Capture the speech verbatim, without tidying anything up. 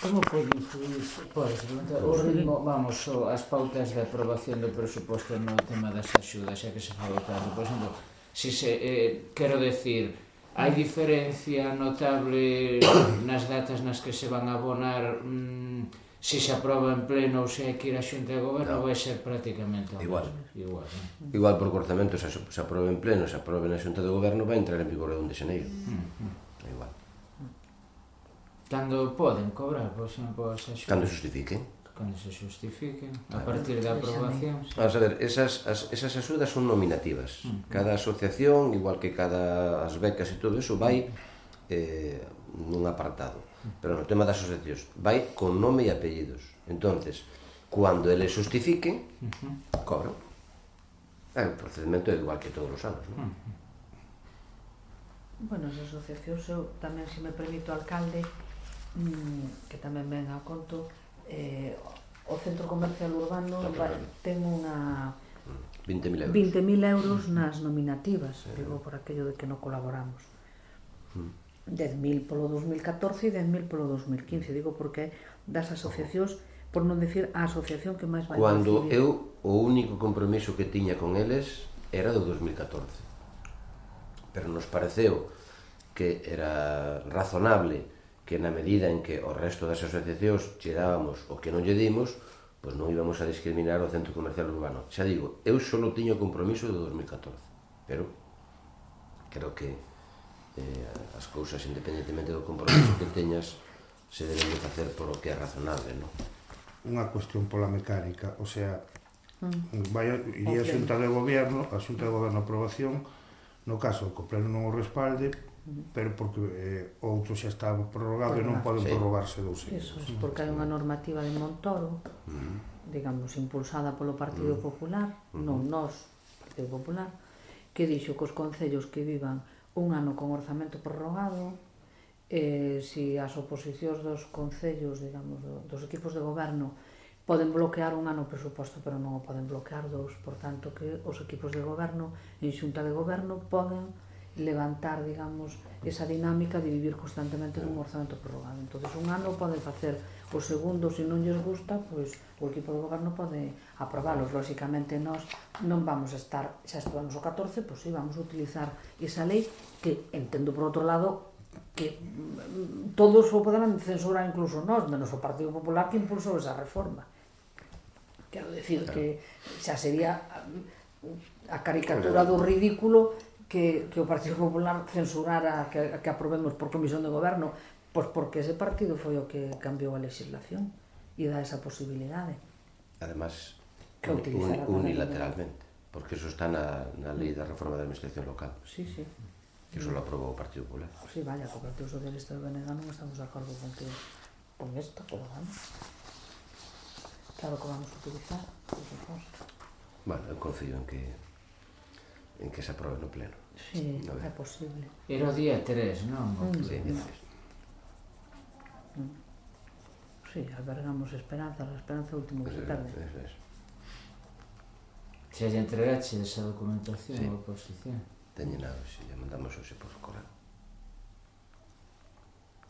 Como pode influir o ritmo, vamos, as pautas de aprobación do presuposto no tema das axudas, xa que se falou tanto? Por exemplo, si se, eh, quero decir, hai diferencia notable nas datas nas que se van a abonar, mmm, si se aproba en pleno ou se hai que ir a xunta de goberno, vai ser prácticamente igual. Igual, igual porque o orzamento se aproba en pleno, se aproba na xunta de goberno, vai entrar en vigor o un de xaneiro. Igual. Cando poden cobrar, por exemplo, as axudas? Cando xustifiquen. Cando se xustifiquen, a partir da aprobación. Vamos a ver, esas, as, esas axudas son nominativas. Cada asociación, igual que cada as becas e todo eso, vai eh, nun apartado. Pero no tema das asociacións, vai con nome e apellidos. Entonces, cando eles xustifiquen, cobran. É, o procedimento é igual que todos os anos, non? Bueno, as asociacións, eu tamén, se me permito, alcalde, que tamén ven a conto, eh, o Centro Comercial Urbano ten unha vinte mil euros nas nominativas, digo, por aquello de que non colaboramos. dez mil polo dos mil catorce e dez mil polo dos mil quince, digo, porque das asociacións, por non decir a asociación que máis vai recibir. Cando eu, o único compromiso que tiña con eles era do dos mil catorce, pero nos pareceu que era razonable que na medida en que o resto das asociacións lle dábamos o que non lle dimos, pois non íbamos a discriminar o Centro Comercial Urbano. Xa digo, eu só tiño compromiso do dos mil catorce, pero creo que eh, as cousas, independentemente do compromiso que teñas, se deben de facer por o que é razonable, non? Unha cuestión pola mecánica, o sea, vai, iría a xunta de goberno, a xunta de goberno aprobación, no caso, que o pleno non o respalde, pero porque eh, outro xa está prorrogado e non poden prorrogarse dous anos. Iso, porque hai unha normativa de Montoro, digamos, impulsada polo Partido Popular, non nós, Partido Popular, que dixo que os concellos que vivan un ano con orzamento prorrogado, eh, si as oposicións dos concellos, digamos, dos equipos de goberno, poden bloquear un ano o presuposto, pero non o poden bloquear dous, por tanto que os equipos de goberno, en xunta de goberno, poden levantar, digamos, esa dinámica de vivir constantemente nun orzamento prorrogado. Entón, un ano pode facer o segundo, se non lles gusta, pois o equipo de goberno pode aprobalos. Lóxicamente, nós non vamos a estar, xa estamos o catorce, pois sí, vamos a utilizar esa lei que, entendo por outro lado, que todos o poderán censurar, incluso nós, menos o Partido Popular que impulsou esa reforma. Quero decir que xa sería a caricatura do ridículo que, que o Partido Popular censurara que, que aprobemos por comisión de goberno, pois porque ese partido foi o que cambiou a legislación e dá esa posibilidade. Además, un, unilateralmente, porque eso está na, na lei da reforma da administración local. Sí, sí. Que eso lo aprobou o Partido Popular. Sí, vaya, o Partido Socialista de Benega non estamos de acordo con que con isto, pero vamos. Claro que vamos a utilizar, por suposto. Bueno, eu confío en que en que se aprobe no pleno. Sí, no é posible. Era o día tres, non? Sí, día tres. Sí, albergamos esperanza, a esperanza é o último que se perde. Se lle entregaxe esa documentación a oposición. Teñen nada, se lle mandamos hoxe por correo.